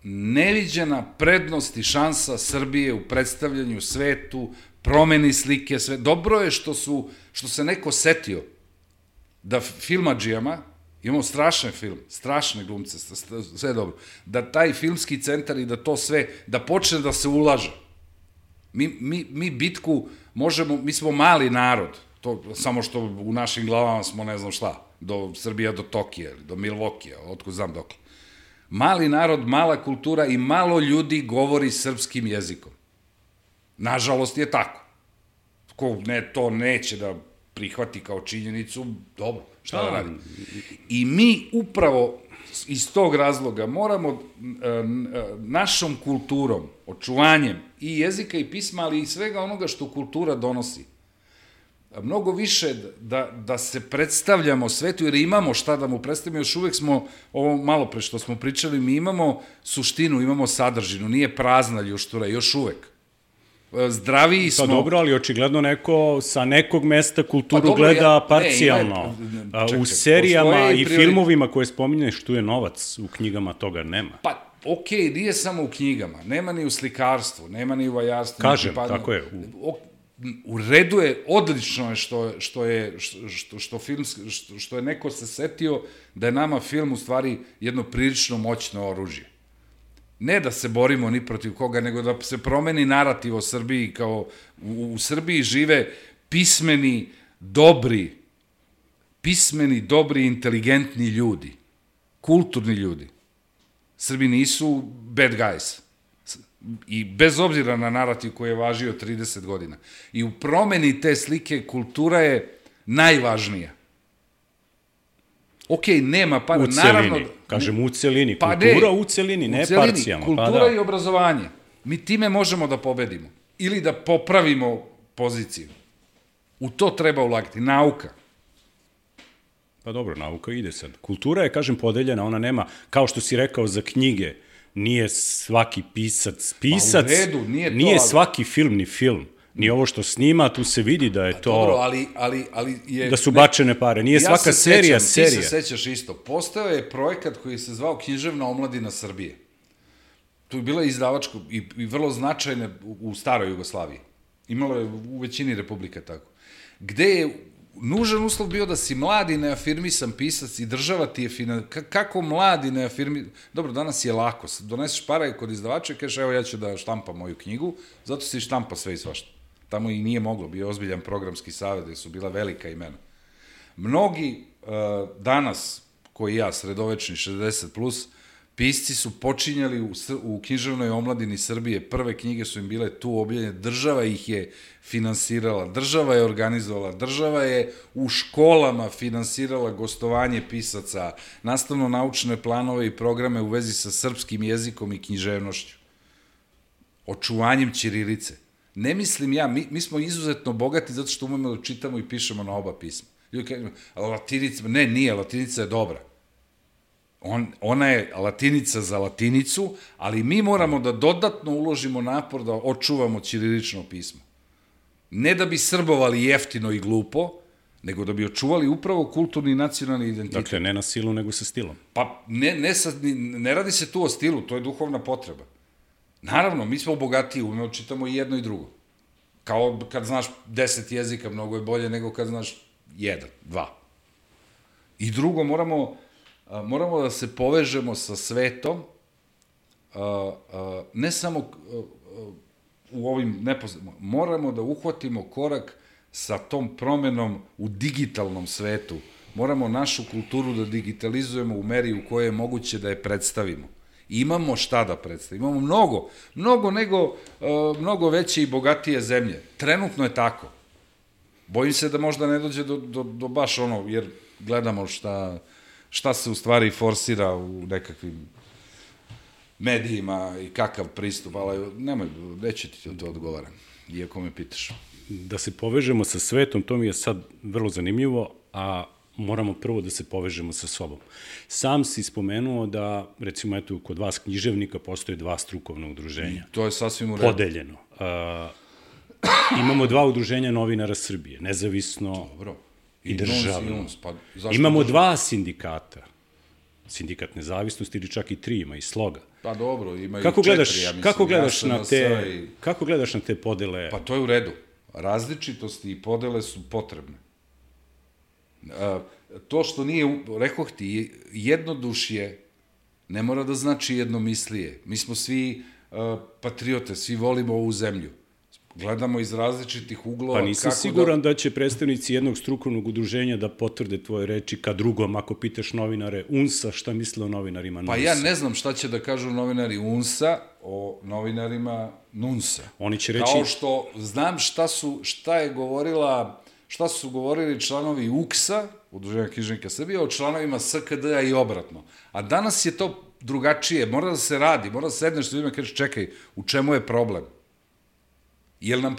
neviđena prednost i šansa Srbije u predstavljanju svetu, promeni slike, sve. Dobro je što se neko setio da filmadžijama, imamo strašan film, strašne glumce, sve dobro, da taj filmski centar i da to sve, da počne da se ulaže. Mi bitku možemo, mi smo mali narod, samo što u našim glavama smo ne znam šta, do Srbija do Tokija, do Milvokija, otko znam dokle. Mali narod, mala kultura i malo ljudi govori srpskim jezikom. Nažalost je tako. Ko to neće da prihvati kao činjenicu, dobro, šta da radi? I mi upravo iz tog razloga moramo našom kulturom, očuvanjem i jezika i pisma, ali i svega onoga što kultura donosi, mnogo više da se predstavljamo svetu, jer imamo šta da mu predstavimo, još uvek smo, ovo malo pre što smo pričali, mi imamo suštinu, imamo sadržinu, nije prazna ljuštura, još uvek. zdraviji smo. Pa dobro, ali očigledno neko sa nekog mesta kulturu gleda parcijalno. U serijama i filmovima koje spominješ, tu je novac, u knjigama toga nema. Pa, okej, nije samo u knjigama, nema ni u slikarstvu, nema ni u vajarstvu. Kažem, tako je. U redu je, odlično je što je neko se setio da je nama film u stvari jedno prilično moćno oružje. Ne da se borimo ni protiv koga, nego da se promeni narativ o Srbiji, kao u Srbiji žive pismeni, dobri, inteligentni ljudi, kulturni ljudi. Srbi nisu bad guys. I bez obzira na narativ koji je važio 30 godina. I u promeni te slike kultura je najvažnija. Okej, nema para. U celini, kažem u celini. Kultura u celini, ne parcijalno. Kultura i obrazovanje. Mi time možemo da pobedimo. Ili da popravimo poziciju. U to treba ulagati. Nauka. Pa dobro, nauka ide sad. Kultura je, kažem, podeljena, ona nema, kao što si rekao za knjige, nije svaki pisac, Pa u redu, nije svaki film ni film. Ni ovo što snima, tu se vidi da je to... Dobro, ali je... Da su bačene pare. Nije svaka serija. Ti se sećaš isto. Postao je projekat koji se zvao Književna omladina Srbije. Tu je bila izdavačka i vrlo značajna u staroj Jugoslaviji. Imalo je u većini republika tako. Gde je nužan uslov bio da si mladi neafirmisan pisac i država ti je kako mladi neafirmisan... Dobro, danas je lako. Doneseš pare kod izdavača i kažeš, evo ja ću da štampam moju knjigu, zato si štampa sve i svašta. Tamo i nije moglo, bio ozbiljan programski savjet, gde su bila velika imena. Mnogi danas, koji ja, sredovečni 60+, pisci su počinjali u književnoj omladini Srbije, prve knjige su im bile tu objavljene, država ih je finansirala, država je organizovala, država je u školama finansirala gostovanje pisaca, nastavno-naučne planove i programe u vezi sa srpskim jezikom i književnošću, očuvanjem ćirilice. Ne mislim ja, mi smo izuzetno bogati zato što umemo da čitamo i pišemo na oba pisma. Ljudi kažu, latinica, ne, nije, latinica je dobra. Ona je latinica za latinicu, ali mi moramo da dodatno uložimo napor da očuvamo ćirilično pismo. Ne da bi srbovali jeftino i glupo, nego da bi očuvali upravo kulturni i nacionalni identitet. Dakle, ne na silu, nego sa stilom. Pa ne radi se tu o stilu, to je duhovna potreba. Naravno, mi smo bogatiji, umemo čitamo i jedno i drugo. Kao kad znaš 10 jezika, mnogo je bolje nego kad znaš 1, 2. I drugo, moramo da se povežemo sa svetom, ne samo u ovim neposredno, moramo da uhvatimo korak sa tom promenom u digitalnom svetu. Moramo našu kulturu da digitalizujemo u meri u kojoj je moguće da je predstavimo. Imamo šta da predstavimo. Imamo mnogo veće i bogatije zemlje. Trenutno je tako. Bojim se da možda ne dođe do baš ono, jer gledamo šta se u stvari forsira u nekakvim medijima i kakav pristup, ali nemoj, neće ti to odgovaram, iako me pitaš. Da se povežemo sa svetom, to mi je sad vrlo zanimljivo, a moramo prvo da se povežemo sa sobom. Sam si spomenuo da, recimo, eto, kod vas književnika postoje 2 strukovna udruženja. I to je sasvim u redu. Podeljeno. Imamo 2 udruženja novinara Srbije, nezavisno i državno. Imamo 2 sindikata. Sindikat nezavisnosti ili čak i 3 ima i Sloga. Pa dobro, ima i 4, ja mislim. Kako gledaš na te podele? Pa to je u redu. Različitosti i podele su potrebne. To što nije, rekoh ti, jednodušje ne mora da znači jednomislije. Mi smo svi patriote, svi volimo ovu zemlju. Gledamo iz različitih uglova. Pa nisam siguran da će predstavnici jednog strukovnog udruženja da potvrde tvoje reči ka drugom, ako pitaš novinare UNS-a, šta misle o novinarima NUNS-a? Pa ja ne znam šta će da kažu novinari UNS-a o novinarima NUNS-a. Oni će reći... Kao što znam šta su govorili članovi UKS-a, Udruženja književnika Srbije, o članovima SKD-a i obratno. A danas je to drugačije, mora da se radi, mora da sedneš s ljudima i kažeš, čekaj, u čemu je problem? Jel nam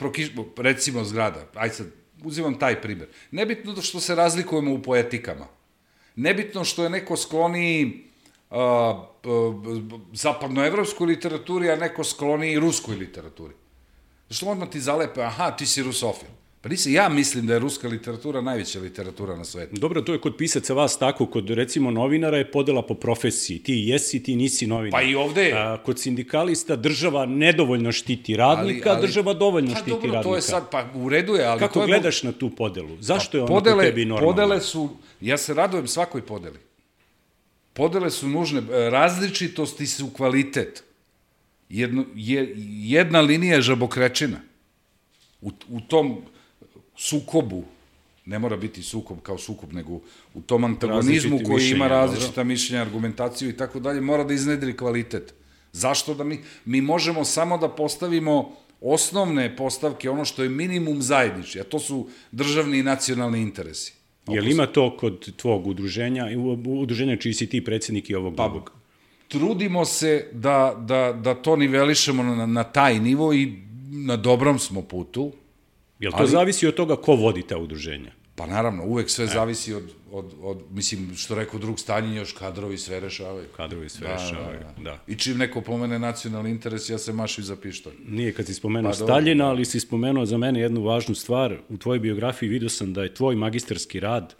recimo zgrada, ajde sad, uzimam taj primer, nebitno što se razlikujemo u poetikama, nebitno što je neko skloniji zapadnoevropskoj literaturi, a neko skloniji ruskoj literaturi. Zašto odmah ti zalepe, aha, ti si rusofil. Pa nisam, ja mislim da je ruska literatura najveća literatura na svetu. Dobro, to je kod pisaca vas tako, kod recimo novinara je podela po profesiji. Ti jesi, ti nisi novinar. Pa i ovde je. Kod sindikalista država nedovoljno štiti radnika, država dovoljno štiti radnika. Pa dobro, to je sad, pa u redu je, ali kako to je... Kako gledaš na tu podelu? Zašto je ona kod tebi normalna? Podele su, ja se radujem svakoj podeli. Podele su nužne, različitosti su kvalitet. Jedna linija je žabokrečina. U tom sukobu, ne mora biti sukob kao sukob, nego u tom antagonizmu koji ima različita mišljenja, argumentaciju i tako dalje, mora da iznedri kvalitet. Zašto da mi možemo samo da postavimo osnovne postavke, ono što je minimum zajednički, a to su državni i nacionalni interesi. Je li ima to kod tvog udruženja čiji si ti predsjednik i ovog drugog? Trudimo se da to nivelišemo na taj nivo i na dobrom smo putu. Jel to zavisi od toga ko vodi ta udruženja? Pa naravno, uvek sve zavisi od mislim, što rekao drug Staljin, još kadrovi sve rešavaju. Kadrovi sve rešavaju, da. I čim neko pomene nacionalni interes, ja se mašim za pištolj. Nije kad si spomenuo Staljina, ali si spomenuo za mene jednu važnu stvar. U tvojoj biografiji vidio sam da je tvoj magistarski rad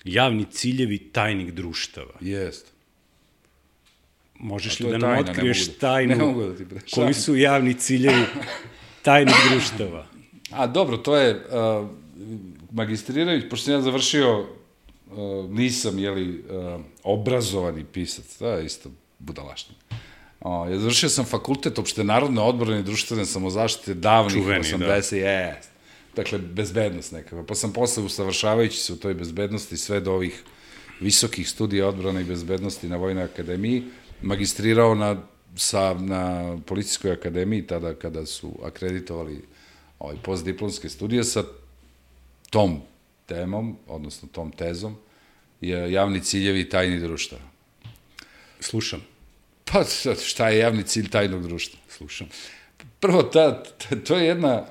javni ciljevi tajnih društava. Jest. Možeš li da nam otkriješ tajnu koji su javni ciljevi tajnih društava? Dobro, to je magistrirajući, pošto sam ja završio, nisam, obrazovani pisac, da, isto budalaština. Ja završio sam fakultet opštenarodne odbrane i društvene samozaštite davnih 80, dakle, bezbednost nekako. Pa sam posle, usavršavajući se u toj bezbednosti, sve do ovih visokih studija odbrane i bezbednosti na Vojnoj akademiji, magistrirao na Policijskoj akademiji, tada kada su akreditovali postdiplomske studije sa tom temom, odnosno tom tezom, je javni ciljevi tajnih društava. Slušam. Pa šta je javni cilj tajnog društva? Slušam. Prvo, to je jedna...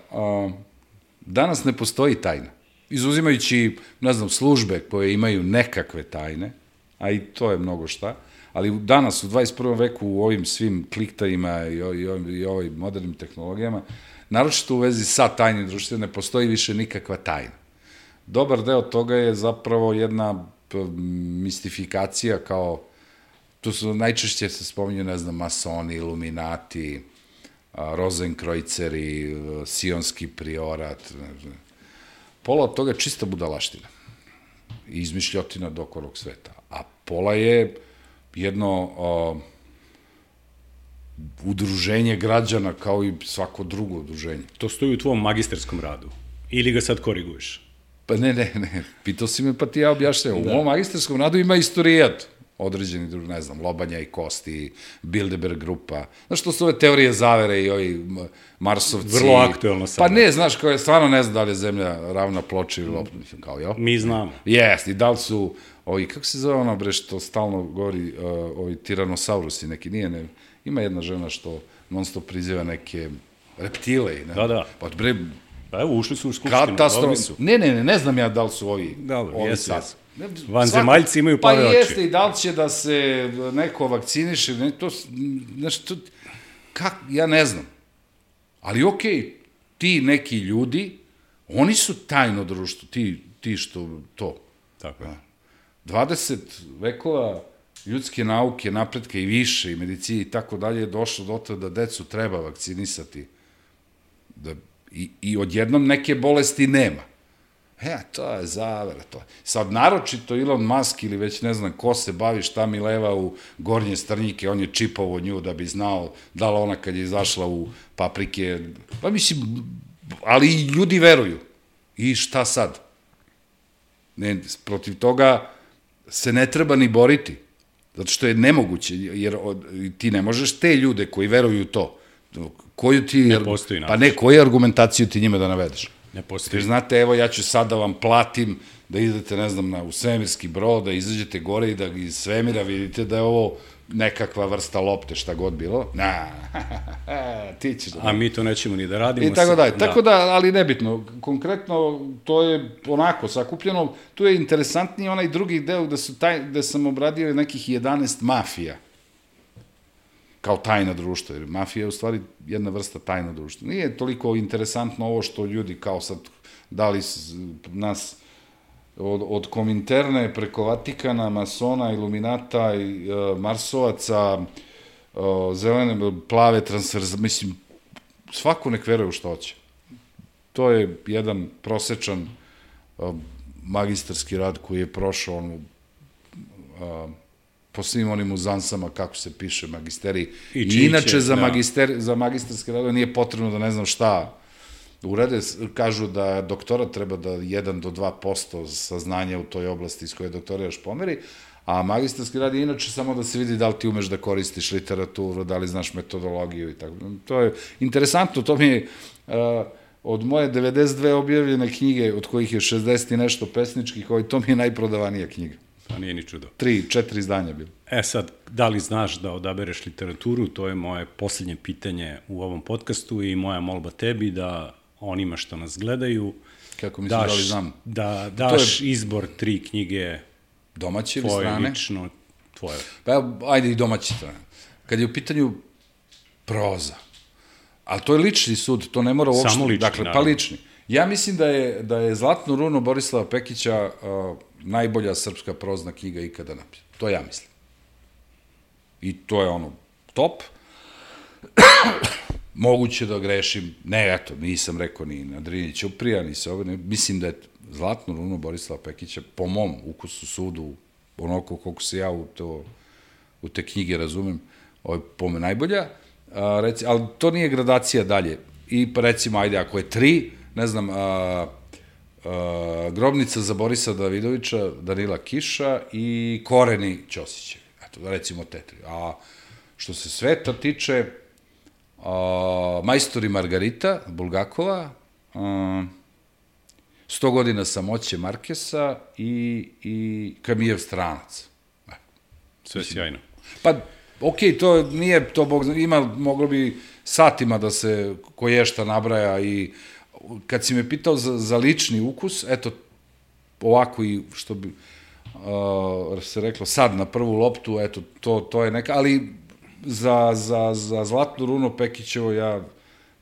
Danas ne postoji tajna. Izuzimajući, ne znam, službe koje imaju nekakve tajne, a i to je mnogo šta, ali danas, u 21. veku, u ovim svim kliktajima i ovim modernim tehnologijama, naročito u vezi sa tajnim društvom, ne postoji više nikakva tajna. Dobar deo toga je zapravo jedna mistifikacija kao, tu su najčešće se spominju, ne znam, masoni, iluminati, rozenkrojceri, sionski priorat, pola od toga je čista budalaština i izmišljotina do okolog sveta, a pola je jedno udruženje građana kao i svako drugo udruženje. To stoji u tvom magistarskom radu? Ili ga sad koriguješ? Pa ne, pitao si me pa ti ja objašnjam. U mom magistarskom radu ima istorijat određeni, ne znam, Lobanja i Kosti, Bilderberg grupa. Znaš, to su ove teorije zavere i ovi Marsovci. Vrlo aktuelno sada. Pa ne, znaš, kao je stvarno ne znam da li je zemlja ravna ploča ili lopta, kao, jel? Mi znamo. Jest, i da li su, kako se zove ono, bre, što stalno govori, ovi tiranosaurusi neki, nije, ne, ima jedna žena što non stop priziva neke reptile. Da. Pa, bre, pa evo, ušli su u skupštinu, dobri su. Ne znam ja da li su ovi sad. Vanzemaljci imaju plave oči. Pa jeste, i da li će da se neko vakciniše, ja ne znam. Ali okej, ti neki ljudi, oni su tajno društvo, ti što to. Tako je. 20 vekova ljudske nauke, napretka i više, i medicine i tako dalje, je došlo do toga da decu treba vakcinisati. I odjednom neke bolesti nema. To je zavera, to. Sad, naročito Elon Musk ili već ne znam ko se bavi šta mi leva u gornje strnjike, on je čipovo nju da bi znao da li ona kad je izašla u paprike, pa mislim, ali i ljudi veruju. I šta sad? Protiv toga se ne treba ni boriti, zato što je nemoguće, jer ti ne možeš te ljude koji veruju u to, koju ti... Ne postoji način. Pa ne, koju argumentaciju ti njima da navedeš? Ne postoji. Jer znate, evo, ja ću sad da vam platim da idete, ne znam, u svemirski brod, da izađete gore i da iz svemira vidite da je ovo nekakva vrsta lopte, šta god bilo. Ti ćeš da... A mi to nećemo ni da radimo. I tako dalje. Tako da, ali nebitno. Konkretno, to je onako sakupljeno. Tu je interesantniji onaj drugi deo gde sam obradio nekih 11 mafija. kao tajna društva, jer mafija je u stvari jedna vrsta tajna društva. Nije toliko interesantno ovo što ljudi kao sad dali nas od Kominterne preko Vatikana, masona, iluminata, marsovaca, zelene, plave transverza, mislim, svako nek veruje u što hoće. To je jedan prosečan magistarski rad koji je prošao po svim onim uzansama kako se piše magisterij. I inače za magistarski rad nije potrebno da ne znam šta urade. Kažu da doktorat treba da 1 do 2% saznanja u toj oblasti iz koje doktoriraš pomeri, a magistarski rad je inače samo da se vidi da li ti umeš da koristiš literaturu, da li znaš metodologiju i tako. To je interesantno, to mi je od moje 92 objavljene knjige, od kojih je 60 i nešto pesničkih, to mi je najprodavanija knjiga. Pa nije ni čudo. 3-4 izdanja bilo. Sad, da li znaš da odabereš literaturu, to je moje poslednje pitanje u ovom podcastu i moja molba tebi da onima što nas gledaju, kako misliš da li znam? Da daš izbor 3 knjige domaće ili strane? Tvoje lično, tvoje. Pa ajde i domaće strane. Kad je u pitanju proza, ali to je lični sud, to ne mora uopšte. Samo lični, dakle, naravno. Pa lični. Ja mislim da je Zlatnu runo Borislava Pekića najbolja srpska prozna knjiga ikada napisana. To ja mislim. I to je ono top. Moguće da grešim. Ne, eto, nisam rekao ni na Drini Ćuprija, ni se ove. Mislim da je Zlatnu runo Borislava Pekića, po mom ukusu, sudu, onako koliko se ja u te knjige razumem, po me najbolja. Ali to nije gradacija dalje. I pa recimo, ajde, ako je 3, ne znam, Grobnica za Borisa Davidovića, Danila Kiša i Koreni Ćosićevi. Eto, recimo te 3. A što se sveta tiče, Majstor i Margarita, Bulgakova, 100 godina samoće Markesa i Kamijev stranac. Sve sjajno. Pa, okej, to nije, to Bog zna, moglo bi satima da se koješta nabraja i kad si me pitao za lični ukus, eto, ovako i što bi se reklo sad na prvu loptu, eto, to je neka, ali za Zlatnu runo Pekićevo ja,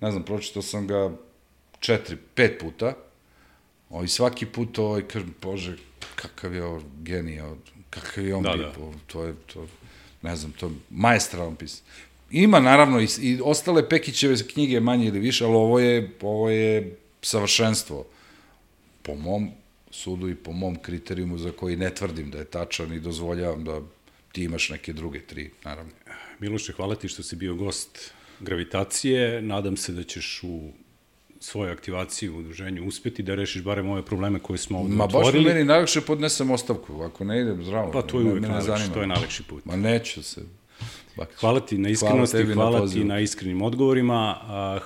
ne znam, pročitao sam ga 4-5 puta, i svaki put kažem, Bože, kakav je ovo genij, kakav je on bio, to je, ne znam, to je maestralan pisan. Ima, naravno, i ostale Pekićeve knjige manje ili više, ali ovo je savršenstvo. Po mom sudu i po mom kriterijumu za koji ne tvrdim da je tačan i dozvoljavam da ti imaš neke druge 3, naravno. Miloše, hvala ti što si bio gost Gravitacije. Nadam se da ćeš u svojoj aktivaciji u udruženju uspeti da rešiš barem ove probleme koje smo ovde otvorili. Ma baš meni najlakše podnesem ostavku, ako ne idem zdravo. Pa to je uvek najlakše, to je najlakši put. Ma neću se. Hvala ti na iskrenosti, hvala ti na iskrenim odgovorima,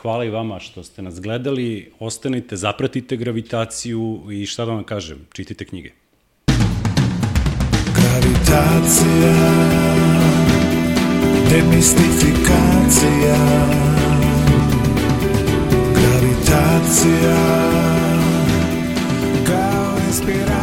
hvala i vama što ste nas gledali, ostanite, zapratite Gravitaciju i šta da vam kažem, čitajte knjige. Gravitacija, demistifikacija, gravitacija, kao inspiracija.